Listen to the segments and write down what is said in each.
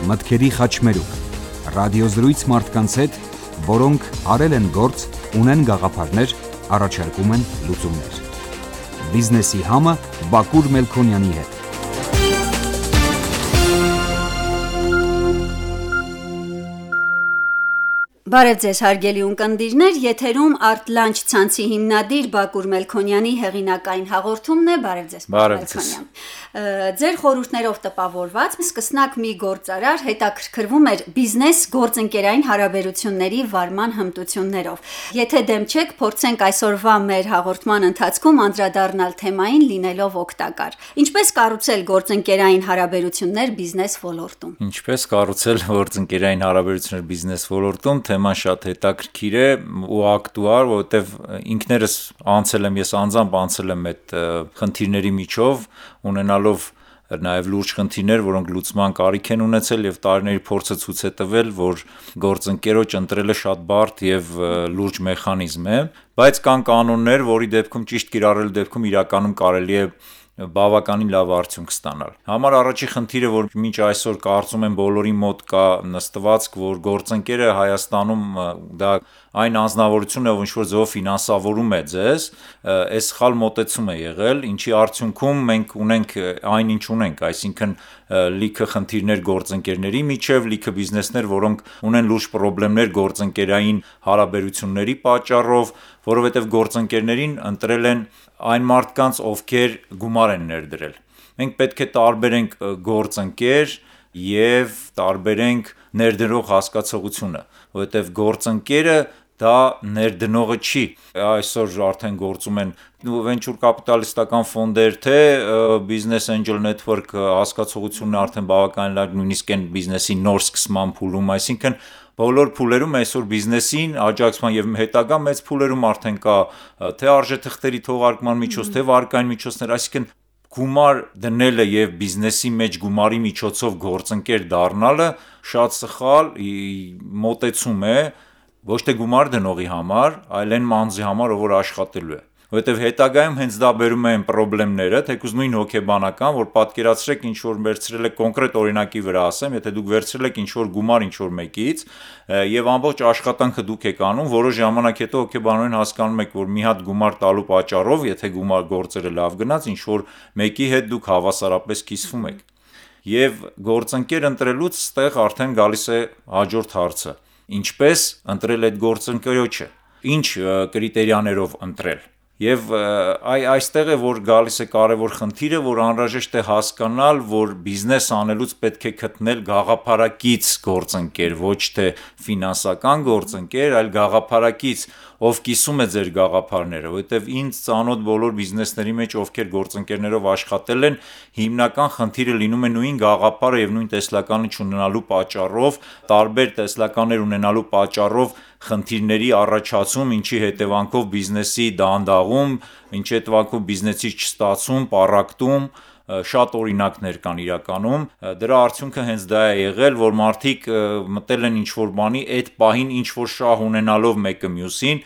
մտքերի խաչմերուկ, ռադիոզրույց մարդկանց հետ, որոնք արել են գործ, ունեն գաղափարներ, առաջարկում են լուծումներ։ Բիզնեսի համը Բակուր Մելքոնյանի հետ։ Բարև ձեզ հարգելի ունկնդիրներ, եթերում Art-Lunch ցանցի հիմնադիր Բակուր Մելքոնյանի հեղինակային հաղորդումն է։ Բարև ձեզ, Մելքոնյան։ Ձեր խորհուրդներով տպավորված սկսնակ մի գործարար հետաքրքրվում էր բիզնես գործընկերային հարաբերությունների վարման հմտություններով։ Եթե դեմ չեք, փորձենք այսօրվա մեր հաղորդման ընթացքում անդրադառնալ թեմային լինելով օգտակար։ Ինչպես կառուցել գործընկերային հարաբերություններ բիզնես ոլորտում։ Ինչպես կառուցել գործընկերային հարաբերություններ բիզնես ոլորտում, թեման շատ հետաքրքիր է ու ակտուալ, որովհետև ինքներս ես անձամբ անցել եմ այդ խնդիրների միջով, ունենալով նաև լուրջ խնդիրներ, որոնք լուծման կարիք են ունեցել եւ տարիների փորձը ցույց է տվել, որ գործընկերոջ ընտրելը շատ բարդ եւ լուրջ մեխանիզմ է, բայց կան կանոններ, որի դեպքում ճիշտ կիրառելու դեպքում իրականում կարելի է բավականին լավ արդյունք ստանալ։ Համար առաջի խնդիրը, որ մինչ այսօր կարծում եմ բոլորի մոտ կա նստվածք, որ գործընկերը Հայաստանում դա այն անձնավորությունն է, որ ինչ-որ ձևով ֆինանսավորում է ձեզ, այս սխալ մոտեցում է եղել, ինչի արդյունքում մենք ունենք այն ինչ ունենք, այսինքն լիքը խնդիրներ գործընկերների միջև, լիքը բիզնեսներ, որոնք ունեն լուրջ խնդիրներ գործընկերային հարաբերությունների պատճառով, որովհետև գործընկերներին ընտրել են այն մարդկանց, ովքեր գումար են ներդրել։ Մենք պետք է տարբերենք գործընկեր եւ տարբերենք ներդրող հասկացողությունը, որովհետեւ գործընկերը դա ներդնողը չի։ Այսօր արդեն գործում են venture կապիտալիստական ֆոնդեր, թե business angel network հասկացողությունն արդեն բավականին լավ, նույնիսկ այն բիզնեսի նոր սկսման փուլում, այսինքն բոլոր փուլերում այսօր բիզնեսին աջակցման եւ հետագա մեծ փուլերում արդեն կա թե արժեթղթերի թողարկման միջոց, թե վարկային միջոցներ, այսինքն գումար դնելը եւ բիզնեսի մեջ գումարի միջոցով գործընկեր դառնալը շատ սխալ մոտեցում է ոչ թե գումար դնողի համար, այլ այն մանձի համար, ով որ աշխատելու է։ Որովհետև հետագայում հենց դա բերում են խնդիրները, թեկուզ նույն հոգեբանական, որ պատկերացրեք ինչ որ վերցրել եք կոնկրետ օրինակի վրա ասեմ, եթե դուք վերցրել եք ինչ որ գումար ինչ որ մեկից եւ ամբողջ աշխատանքը դուք եք անում, որոշ ժամանակ հետո հոգեբանորեն հասկանում եք, որ մի հատ գումար տալու պատճառով, եթե գումար գործերը լավ գնաց, ինչ որ մեկի հետ դուք հավասարապես կիսվում եք։ Եվ գործընկեր ընտրելուց ստեղ արդեն գալիս է հաջորդ հարցը։ Ինչպես ընտրել այդ գործընկերոջը, ինչ կրիտերիաներով ընտրել։ Եվ այստեղ է որ գալիս է կարևոր խնդիրը, որ անհրաժեշտ է հասկանալ, որ բիզնես անելուց պետք է գտնել գաղափարակից գործընկեր, ոչ թե ֆինանսական գործընկեր, այլ գաղափարակից, ով կիսում է ձեր գաղափարները, որովհետև ինձ ծանոթ բոլոր բիզնեսների մեջ, ովքեր գործընկերներով աշխատել են, հիմնական խնդիրը լինում է նույն գաղափարը եւ նույն տեսլականը չունենալու պատճառով, տարբեր տեսլականներ ունենալու պատճառով խնդիրների առաջացում, ինչի հետևանքով բիզնեսի դանդաղում, ինչի հետևանքով բիզնեսի չստացում, պառակտում, շատ օրինակներ կան իրականում, դրա արդյունքը հենց դա է եղել, որ մարդիկ մտել են ինչ-որ բանի, այդ պահին ինչ-որ շահ ունենալով մեկը մյուսին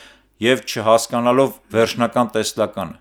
եւ չհասկանալով վերջնական տեսլականը։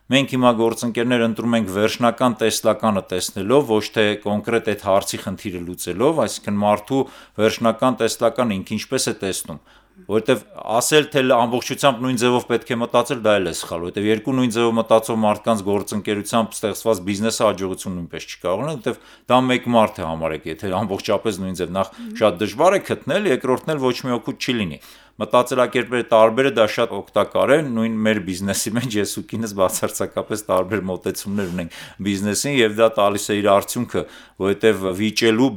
Մենք հիմա գործընկերներ ընտրում ենք վերջնական տեսլականը տեսնելով, ոչ թե կոնկրետ այդ հարցի խնդիրը լուծելով, այսինքն մարդու վերջնական տեսլականը ինքը ինչպես է տեսնում, որովհետև ասել թե ամբողջությամբ նույն ձևով պետք է մտածել, դա էլ է սխալ, որովհետև երկու նույն ձևով մտածող մարդկանց գործընկերությամբ ստեղծված բիզնեսը հաջողություն նույնպես չի կարող ունենալ, որովհետև դա մեկ մարդ է համարեք, եթե ամբողջապես նույն ձև, նախ շատ դժվար է գտնել, երկրորդն էլ ոչ մի օգուտ չի լինի։ Մտածելակերպերը տարբերը դա շատ օգտակար է, նույն մեր բիզնեսի մեջ ես ու կինս բացարձակապես տարբեր մոտեցումներ ունենք բիզնեսին եւ դա տալիս է իր արդյունքը, որովհետեւ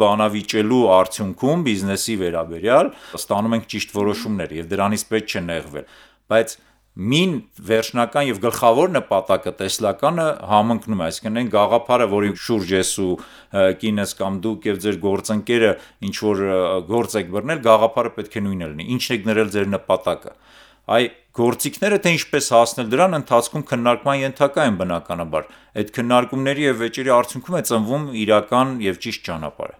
բանավիճելու արդյունքում բիզնեսի վերաբերյալ ստանում ենք ճիշտ որոշումներ եւ դրանից պետք չէ նեղվել, բայց մին վերջնական եւ գլխավոր նպատակը տեսլականը համընկնում է, այսինքն այն գաղափարը, որի շուրջ ես ու կինս կամ դուք եւ ձեր գործընկերը ինչ որ գործ եք բռնել, գաղափարը պետք է նույնը լինի, ինչն եք ներել ձեր նպատակը։ Այ գործիքները թե ինչպես հասնել դրան ընթացքում քննարկման ենթակա են բնականաբար։ Այդ քննարկումների եւ վեճերի արդյունքում է ծնվում իրական եւ ճիշտ ճանապարհը։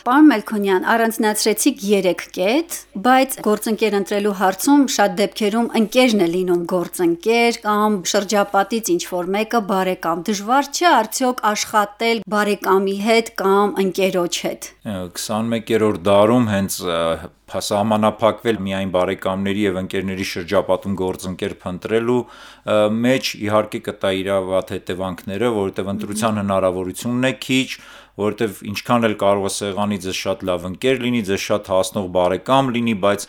Պարոն Մելքոնյան, առանձնացրեցիք 3 կետ, բայց գործընկեր ընտրելու հարցում շատ դեպքերում ընկերն է լինում գործընկեր կամ շրջապատից ինչ-որ մեկը բարեկամ։ Դժվար չէ արդյոք աշխատել բարեկամի հետ կամ ընկերոջ հետ։ 21-րդ դարում հենց սահմանափակվել միայն բարեկամների եւ ընկերների շրջապատում գործընկեր փնտրելու մեջ իհարկե կտա իր վատ հետևանքները, որովհետեւ ընտրության հնարավորությունն է քիչ, որովհետև ինչքան էլ կարող է սեղանի ձեզ շատ լավ ընկեր լինի, ձեզ շատ հասնող բարեկամ լինի, բայց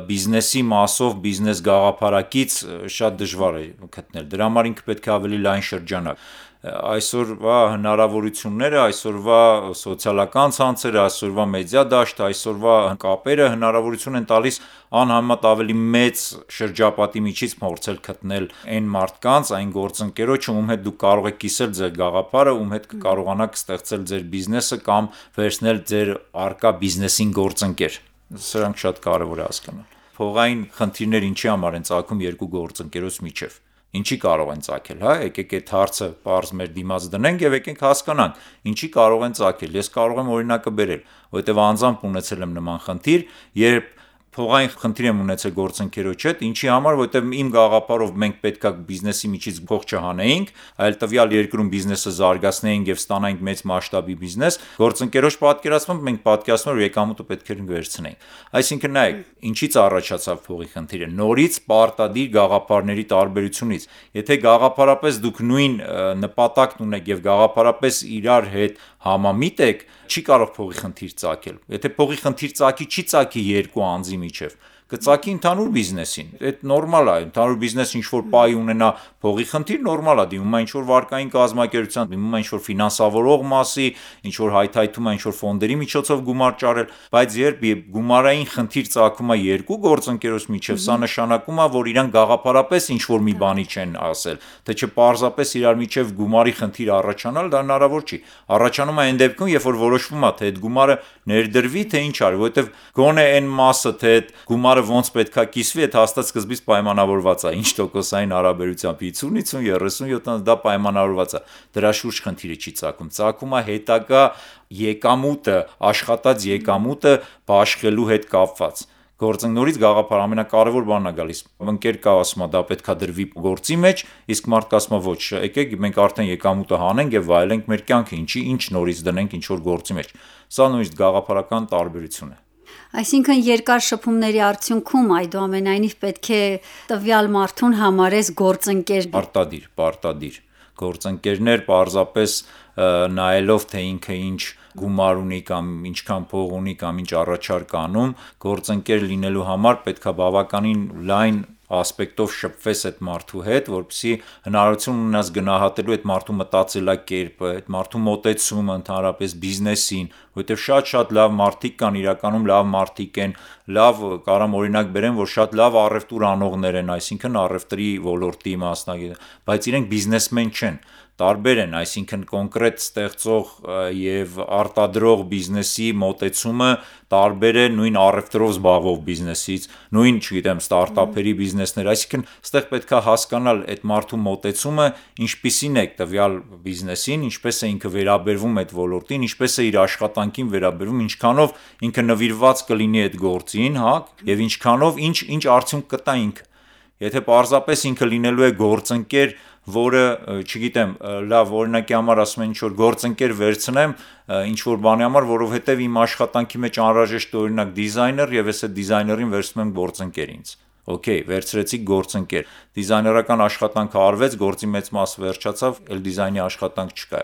բիզնեսի մասով, բիզնես գաղափարակից շատ դժվար է գտնել։ Դրա համար ինքը պետք է ավելի լայն շրջանակ։ Այսօրվա հնարավորությունները, այսօրվա սոցիալական ցանցերը, այսօրվա մեդիա դաշտը, այսօրվա կապերը հնարավորություն են տալիս անհամեմատ ավելի մեծ շրջապատի միջից փորձել գտնել այն մարդկանց, այն գործընկերոջը, ում հետ դուք կարող եք կիսել ձեր գաղափարը, ում հետ կկարողանաք ստեղծել ձեր բիզնեսը կամ վերցնել ձեր առկա բիզնեսին գործընկեր։ Սրանք շատ կարևոր է հասկանալ։ Փողային խնդիրներ ինչի համար են ծագում երկու գործընկերոջ միջև։ Ինչի կարող են ծագել, հա, եկեք այդ հարցը պարզ մեր դիմաց դնենք եւ եկենք հասկանանք, ինչի կարող են ծագել։ Ես կարող եմ օրինակը բերել, որովհետեւ անձամբ ունեցել եմ նման խնդիր, երբ փողային խնդիր եմ ունեցել գործընկերոջ հետ, ինչի համար, որովհետև իմ գաղափարով մենք պետքա բիզնեսի միջից փող չհանեինք, այլ տվյալ երկրում բիզնեսը զարգացնեինք եւ ստանայինք մեծ մասշտաբի բիզնես, գործընկերոջ պատկերացմամբ մենք պատկերացնում ենք եկամուտը պետք է վերցնեինք։ Այսինքն նայեք, ինչից առաջացավ փողի խնդիրը։ Նորից պարտադիր գաղափարների տարբերությունից։ Եթե գաղափարապես դուք նույն նպատակն ունեք եւ գաղափարապես իրար հետ համամիտ եք, չի կարող փողի խնդիր ծագել։ Եթե փողի խնդիր ծագի, չի ծագի երկու անձի միջև, կծագի ընդհանուր բիզնեսին։ Այդ նորմալ է, ընդհանուր բիզնես ինչ-որ պայ ունենա փողի խնդիր, նորմալ է, դիմում է ինչ-որ վարկային կազմակերպության, դիմում է ինչ-որ ֆինանսավորող մասի, ինչ-որ հայթայթում է ինչ-որ ֆոնդերի միջոցով գումար ճարել, բայց երբ գումարային խնդիր ծագում է երկու գործընկերոջ միջև, սա նշանակում է, որ իրանք գաղափարապես ինչ-որ մի բանի չեն ասել, թե չէ պարզապես իրար միջև գումարի խնդիր առաջանալ, դա հնարավոր չի։ Առաջանում է այն դեպքում, երբ որ որոշվում է, թե այդ գումարը ներդրվի, թե ինչ արի, որովհետև գոնե այն մասը, թե այդ գումարը ոնց պետքա կիսվի, այդ հաստատ սկզբից պայմանավորված է, ինչ տոկոսային հարաբերությամբ 50, 50, 30, 70 դա պայմանավորված է։ Դրա շուրջ խնդիրը չի ծագում։ Ծագում է հետագա եկամուտը, աշխատած եկամուտը բաշխելու հետ կապված։ Գործընկերից գաղափար ամենակարևոր բանն է գալիս։ Ընկեր կա ասում է դա պետքա դրվի գործի մեջ, իսկ մարդ կասում է ոչ, եկեք մենք արդեն եկամուտը հանենք եւ վայելենք մեր կյանքը, ինչ նորից դնենք ինչ որ գործի մեջ։ Սա նույնիսկ գաղափարական տարբերություն է։ Այսինքն երկար շփումների արդյունքում այդուամենայնիվ պետք է տվյալ մարդուն համարես գործընկեր։ Պարտադիր գործընկերներ պարզապես նայելով թե ինքը ինչ գումար ունի կամ ինչքան փող ունի կամ ինչ առաջարկ անում, գործընկեր լինելու համար պետքա բավականին լայն ասպեկտով շփվես այդ մարդու հետ, որպեսզի հնարավորություն ունենաս գնահատելու այդ մարդու մտածելակերպը, այդ մարդու մոտեցումը ընդհանրապես բիզնեսին, որովհետև շատ լավ մարդիկ կան, իրականում լավ մարդիկ են, լավ կարամ օրինակ բերեմ, որ շատ լավ առևտուր անողներ են, այսինքն առևտրի ոլորտի մասնագետ, բայց իրենք բիզնեսմեն չեն։ Տարբեր են, այսինքն կոնկրետ ստեղծող եւ արտադրող բիզնեսի մոտեցումը տարբեր է նույն առևտրով զբաղվող բիզնեսից, նույն, չգիտեմ, ստարտափերի բիզնեսներ, այսինքն ստեղ պետքա հասկանալ այդ մարդու մոտեցումը ինչպիսին է տվյալ բիզնեսին, ինչպես է ինքը վերաբերվում այդ ոլորտին, ինչպես է իր աշխատանքին վերաբերվում, ինչքանով ինքը նվիրված կլինի այդ գործին, հա, եւ ինչքանով ինչ արդյունք կտա ինքը։ Եթե պարզապես ինքը լինելու է գործընկեր, որը, չգիտեմ, լավ օրինակի համար ասում են ինչ-որ գործընկեր վերցնեմ, ինչ-որ բանի համար, որովհետև իմ աշխատանքի մեջ անհրաժեշտ է օրինակ դիզայներ եւ ես այդ դիզայներին վերցնում եմ գործընկեր ինձ։ Okay, վերցրեցիք գործընկեր։ Դիզայներական աշխատանքը արվեց, գործի մեծ մասը վերջացավ, այլ դիզայնի աշխատանք չկա։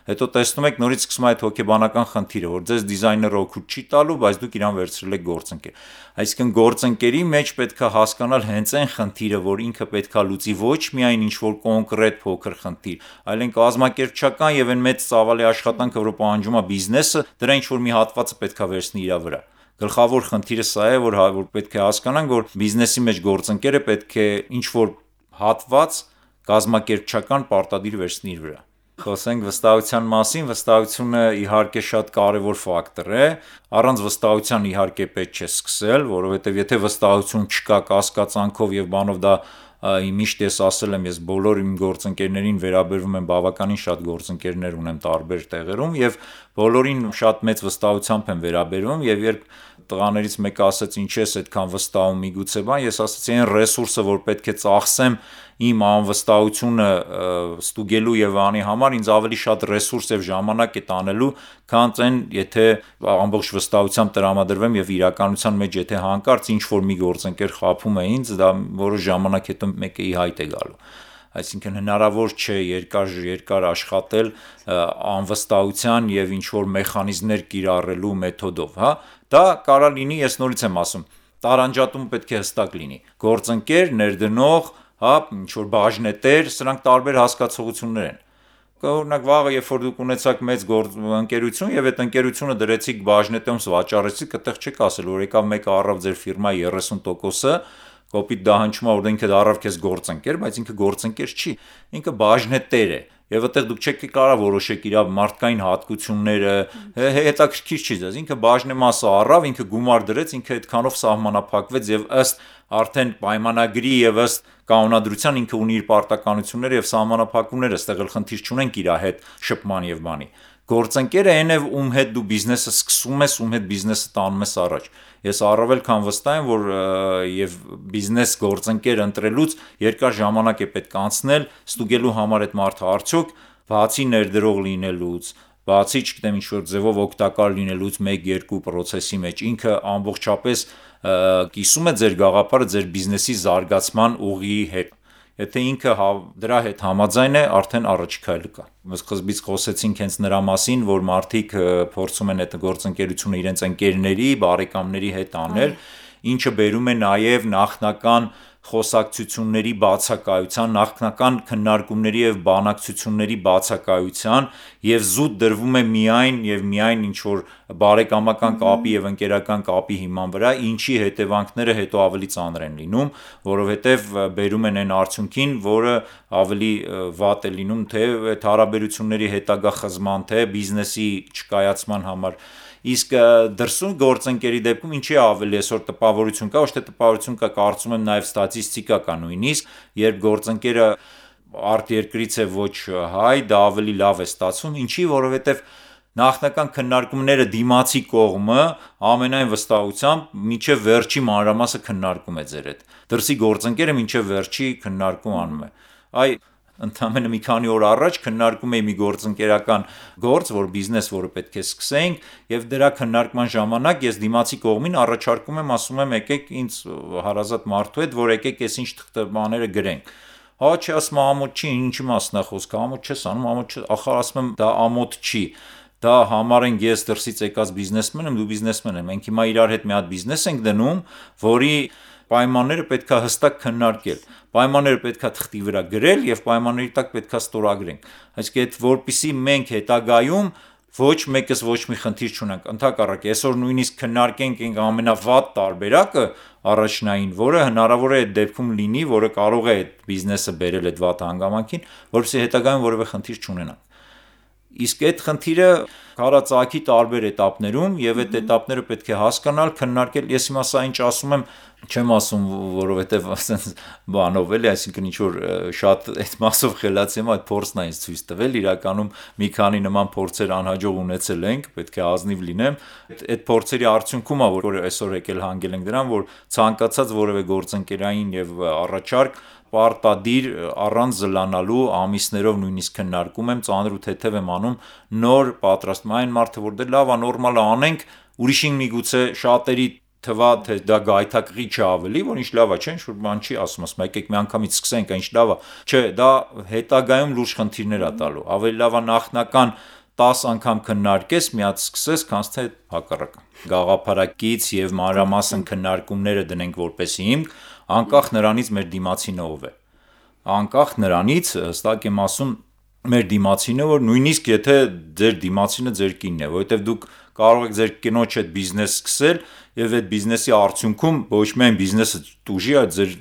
Հետո տեսնում եք նորից սկսում է այդ հոգեբանական խնդիրը, որ ձեզ դիզայները օգուտ չի տալու, բայց դուք իրան վերցրել եք գործընկեր։ Այսինքն գործընկերի մեջ պետքա հասկանալ հենց այն խնդիրը, որ ինքը պետքա լուծի ոչ միայն ինչ-որ կոնկրետ փոքր խնդիր, այլ այն կազմակերպչական եւ այն մեծ ծավալի աշխատանքը, որը պահանջում է բիզնեսը, դրա ինչ-որ մի հատվածը պետքա վերցնի իր վրա։ Գլխավոր խնդիրը սա է, որ պետք է հասկանանք, որ բիզնեսի մեջ գործընկերը պետք է ինչ-որ հատված կազմակերպչական պարտադիր վերցնի իր վրա։ Խոսենք վստահության մասին, վստահությունը իհարկե շատ կարևոր ֆակտոր է, առանց վստահության իհարկե պետք չէ սկսել, որովհետև եթե վստահություն չկա կասկածանքով եւ բանով դա միշտ ես ասել եմ, ես բոլոր իմ գործընկերներին վերաբերվում եմ, բավականին շատ գործընկերներ ունեմ տարբեր տեղերում եւ բոլորին շատ մեծ վստահությամբ եմ վերաբերվում եւ երբ տղաներից մեկը ասաց ինչ ես այդքան վստահում միգուցե բան, ես ասացի այն ռեսուրսը, որ պետք է ծախսեմ իմ անվստահությունը ստուգելու եւ անի համար ինձ ավելի շատ ռեսուրս եւ ժամանակ է տանելու, քան այն, եթե ամբողջ վստահությամբ տրամադրվեմ եւ իրականության մեջ եթե հանկարծ ինչ որ մի գործընկեր խափում է ինձ, դա որոշ ժամանակ հետո մեկը ի հայտ է գալու։ Այսինքն հնարավոր չէ երկար աշխատել անվստահության եւ ինչ որ մեխանիզմներ կիրառելու մեթոդով, հա։ Դա կարա լինի, ես նորից եմ ասում, տարանջատումը պետք է հստակ լինի։ Գործընկեր, ներդնող, հա, ինչ որ բաժնետեր, սրանք տարբեր հասկացություններ են։ Օրինակ վաղը երբ որ դուք ունեցաք մեծ ընկերություն եւ այդ ընկերությունը դրեցիք բաժնետում վաճառեցիք, այդտեղ չեք ասել, որ եկավ մեկը առավ ձեր ֆիրմայի 30%-ը, կոպիտ դահանջում որ ինքը առավ քեզ գործընկեր, բայց ինքը գործընկեր չի, ինքը բաժնետեր է։ Եվ այդտեղ դուք չեք կարող որոշեք իր մարդկային հատկությունները, հետաքրքիր չի դες, ինքը բաժնեմասը առավ, ինքը գումար դրեց, ինքը այդքանով սահմանափակվեց եւ ըստ արդեն պայմանագրի եւ ըստ կանոնադրության ինքը ունի իր պարտականությունները եւ սահմանափակումները, այստեղ էլ խնդիր չունենք իր հետ շփման եւ բանի։ Գործընկերը այն է, ում հետ դու բիզնեսը սկսում ես, ում հետ բիզնեսը տանում ես առաջ։ Ես առավել քան վստահ եմ, որ եւ բիզնես գործընկեր ընտրելուց երկար ժամանակ է պետք անցնել, ստուգելու համար այդ մարդը արդյոք բացի ներդրող լինելուց, բացի չգիտեմ ինչ որ ձևով օգտակար լինելուց 1-2 process-ի մեջ ինքը ամբողջապես կիսում է ձեր գաղափարը ձեր բիզնեսի զարգացման ուղիի հետ։ Եթե ինքը դրա հետ համաձայն է, արդեն առաջի քայլը կա։ Սկզբից խոսեցինք հենց նրա մասին, որ մարդիկ փորձում են այդ գործընկերությունը իրենց ընկերների, բարեկամների հետ անել, ինչը բերում է նաև նախնական խոսակցությունների բացակայության, նախնական քննարկումների եւ բանակցությունների բացակայության եւ զուտ դրվում է միայն ինչ որ բարեկամական կապի եւ ընկերական կապի հիման վրա, ինչի հետևանքները հետո ավելի ծանր են լինում, որովհետեւ բերում են այն արդյունքին, որը ավելի վատ է լինում թե այդ հարաբերությունների հետագա խզման, թե բիզնեսի չկայացման համար։ Իսկ դրսում գործընկերի դեպքում ինչի ավելի այսօր տպավորություն կա, ոչ թե տպավորություն կա, կարծում եմ նաև ստատիստիկա կա նույնիսկ, երբ գործընկերը արտերկրից է ոչ հայ, դա ավելի լավ է ստացվում, ինչի, որովհետև նախնական քննարկումները դիմացի կողմը ամենայն վստահությամբ մինչև վերջի մանրամասը քննարկում է ձեր հետ։ Դրսի գործընկերը մինչև վերջի քննարկում անում է։ Ընդամենը մի քանի օր առաջ քննարկում էի մի գործընկերական գործ, որ բիզնես, որը պետք է սկսենք, եւ դրա քննարկման ժամանակ ես դիմացի կողմին առաջարկում եմ, ասում եմ, եկեք ինձ հարազատ մարդու հետ, որ եկեք այս ինչ բաները գրենք։ Հա, չի ասում ամոթ չի, ինչի մասն է խոսքը, ամոթ չես անում, ամոթ չի, ախր ասում եմ, դա ամոթ չի։ Դա համարենք ես դրսից եկած բիզնեսմեն եմ, դու բիզնեսմեն եմ։ Մենք հիմա իրար հետ մի հատ բիզնես ենք դնում, որի պայմանները պետքա հստակ քննարկել։ Պայմանները պետքա թղթի վրա գրել եւ պայմանների տակ պետքա ստորագրենք։ Այսինքն այդ որպիսի մենք հետագայում ոչ մեկս ոչ մի խնդիր չունենք։ Ընդհակառակը, այսօր նույնիսկ քննարկենք այն ամենավատ տարբերակը առաջնային, որը հնարավոր է այդ դեպքում լինի, որը կարող է այդ բիզնեսը բերել այդ վատ հանգամանքին, որպեսզի հետագայում որևէ խնդիր չունենանք։ Իսկ այդ խնդիրը քարածակի տարբեր էտապներում եւ այդ էտապները պետք է հասկանալ, քննարկել։ Ես հիմա սա ինչ ասում եմ, չեմ ասում, որովհետեւ ասենց բանով էլի, այսինքն ինչ որ շատ այդ մասով խելացի եմ, այդ փորձն է ինձ ցույց տվել, իրականում մի քանի նման փորձեր անհաջող ունեցել ենք, պետք է ազնիվ լինեմ։ Այդ փորձերի արդյունքում է, որ այսօր եկել հանգել ենք դրան, որ ցանկացած որևէ գործընկերային եւ առաջարկ պարտադիր առանց զլանալու ամիսներով նույնիսկ քննարկում եմ, ծանր ու թեթև եմ անում, նոր պատրաստում այն մարդը, որ դե լավ է, նորմալ է անենք, ուրիշին միգուցե շատերի թվա թե դա գայթակղի չէ ավելի, որ ինչ լավ է, չէ, ինչ որ բան չի ասում, եկեք մի անգամից սկսենք, ինչ լավ է։ Չէ, դա հետագայում լուրջ խնդիրներ է տալու։ Ավելի լավ է նախնական 10 անգամ քննարկես, մի հատ սկսես, քանց թե հակառակը։ Գաղափարակից եւ մանրամասն քննարկումները դնենք որպես հիմք, անկախ նրանից մեր դիմացինը ով է։ Անկախ նրանից, հստակ եմ ասում, մեր դիմացինը, որ նույնիսկ եթե ձեր դիմացինը ձեր կինն է, որովհետեւ դուք կարող եք ձեր կնոջ հետ բիզնես սկսել եւ այդ բիզնեսի արդյունքում ոչ միայն բիզնեսը տուժի, այլ ձեր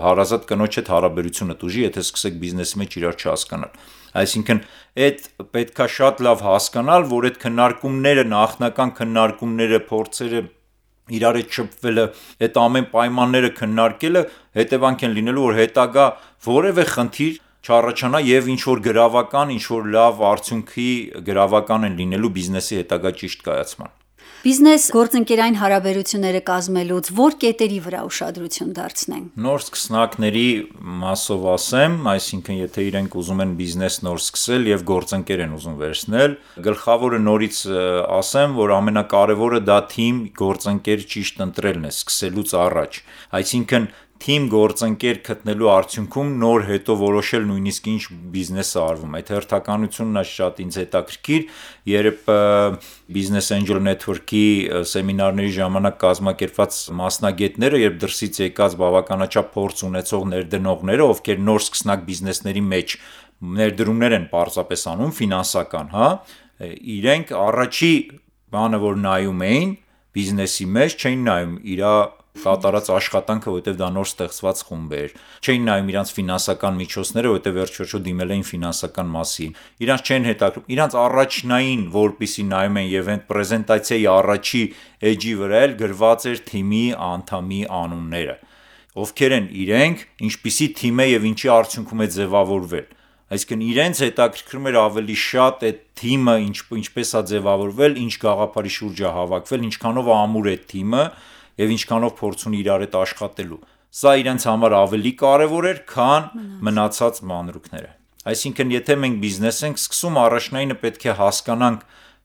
հարազատ կնոջ հետ հարաբերությունը տուժի, եթե սկսեք բիզնեսի մեջ իրար չհասկանալ։ Այսինքն այդ պետքա շատ լավ հասկանալ, որ այդ քննարկումները, նախնական քննարկումները, փորձերը իրար հետ շփվելը, այդ ամեն պայմանները քննարկելը հետևանք են լինելու, որ հետագա որևէ խնդիր չառաջանա եւ ինչ որ գրավական, ինչ որ լավ արդյունքի գրավական են լինելու բիզնեսի հետագա ճիշտ կայացման։ Բիզնես գործընկերային հարաբերությունները կազմելուց որ կետերի վրա ուշադրություն դարձնենք։ Նոր սկսնակների մասով ասեմ, այսինքն եթե իրենք ուզում են բիզնես նոր սկսել եւ գործընկեր են ուզում վերցնել, գլխավորը նորից ասեմ, որ ամենակարևորը դա թիմ գործընկեր ճիշտ ընտրելն է սկսելուց առաջ։ Այսինքն թիմ գործընկեր գտնելու արդյունքում նոր հետո որոշել նույնիսկ ինչ բիզնես է արվում։ Այդ հերթականությունն է շատ ինձ հետաքրքիր, երբ Business Angel Network-ի սեմինարների ժամանակ կազմակերպված մասնագետները, երբ դրսից եկած բավականաչափ փորձ ունեցող ներդնողները, ովքեր նոր սկսնակ բիզնեսների մեջ ներդրումներ են պարզապես անում, ֆինանսական, հա, իրենք առաջի բանը, որ նայում էին բիզնեսի մեջ, չէին նայում իր կատարած աշխատանքը, որովհետև դա նոր ստեղծված խումբ էր։ Չէին նայում իրանց ֆինանսական միջոցները, որովհետև վերջ-վերջո դիմել էին ֆինանսական մասին։ Իրանց չեն հետաքրքրում, իրանց առաջնային, որպիսի նայում են եւ այդ պրեզենտացիայի առաջի էջի վրա էլ գրված էր թիմի անդամի անունները։ Ովքեր են իրենք, ինչպիսի թիմ է եւ ինչի արդյունքում է ձևավորվել։ Այսինքն իրենց հետաքրքրում էր ավելի շատ այդ թիմը ինչպես է ձևավորվել, ինչ գաղափարի շուրջ է հավաքվել, ինչքանով ամուր է թիմը եւ ինչքանով փորձ ունի իրար հետ աշխատելու։ Սա իրենց համար ավելի կարևոր էր, քան մնացած մանրուքները։ Այսինքն, եթե մենք բիզնես ենք սկսում, առաջնայինը պետք է հասկանանք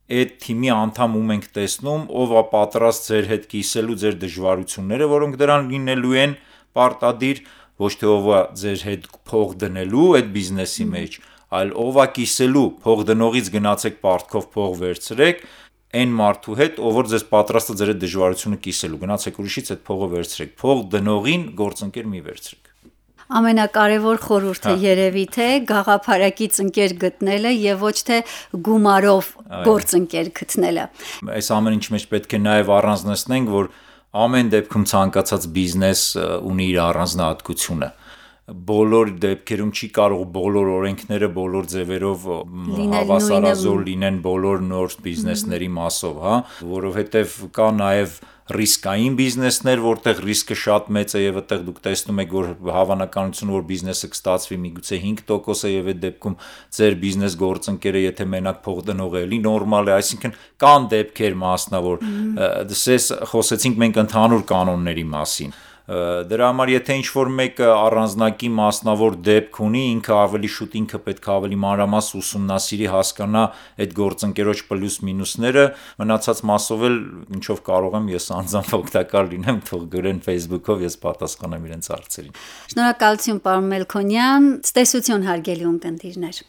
այդ թիմի անդամ ում ենք տեսնում, ով է պատրաստ ձեր հետ կիսելու ձեր դժվարությունները, որոնք դրան լինելու են պարտադիր, ոչ թե ով է ձեր հետ փող դնելու այդ բիզնեսի մեջ, այլ ով է կիսելու, փող դնողից գնացեք պարտքով փող վերցրեք այն մարդու հետ, ով որ ձեզ պատրաստ է ձեր այդ դժվարությունը կիսելու, գնացեք ուրիշից այդ փողը վերցրեք, փող դնողին գործընկեր մի վերցրեք։ Ամենակարևոր խորհուրդը երևի թե գաղափարակից ընկեր գտնելը եւ ոչ թե գումարով գործընկեր գտնելը։ Այս ամեն ինչ մեջ պետք է նաեւ առանձնացնենք, որ ամեն դեպքում ցանկացած բիզնես ունի իր առանձնահատկությունը։ Բոլոր դեպքերում չի կարող բոլոր օրենքները բոլոր ձևերով հավասարազոր լինեն բոլոր նոր բիզնեսների մասով, հա, որովհետև կա նաև ռիսկային բիզնեսներ, որտեղ ռիսկը շատ մեծ է եւ այդտեղ դուք տեսնում եք, որ հավանականությունը, որ բիզնեսը կստացվի միգուցե 5% է եւ այդ դեպքում ձեր բիզնես գործընկերը, եթե մենակ փող դնող է, էլի նորմալ է, այսինքն կան դեպքեր մասնավոր, դες խոսեցինք մենք ընդհանուր կանոնների մասին։ Դրա համար եթե ինչ-որ մեկը առանձնակի մասնավոր դեպք ունի, ինքը ավելի շուտ ինքը պետք է ավելի մանրամաս ուսումնասիրի, հասկանա այդ գործընկերոջ պլյուս մինուսները, մնացած մասով էլ ինչով կարող եմ ես անձամբ օգտակար լինեմ, թող գրեն Facebook-ով, ես պատասխանեմ իրենց հարցերին։ Շնորհակալություն, պարոն Մելքոնյան, ցտեսություն հարգելի ունկնդիրներ։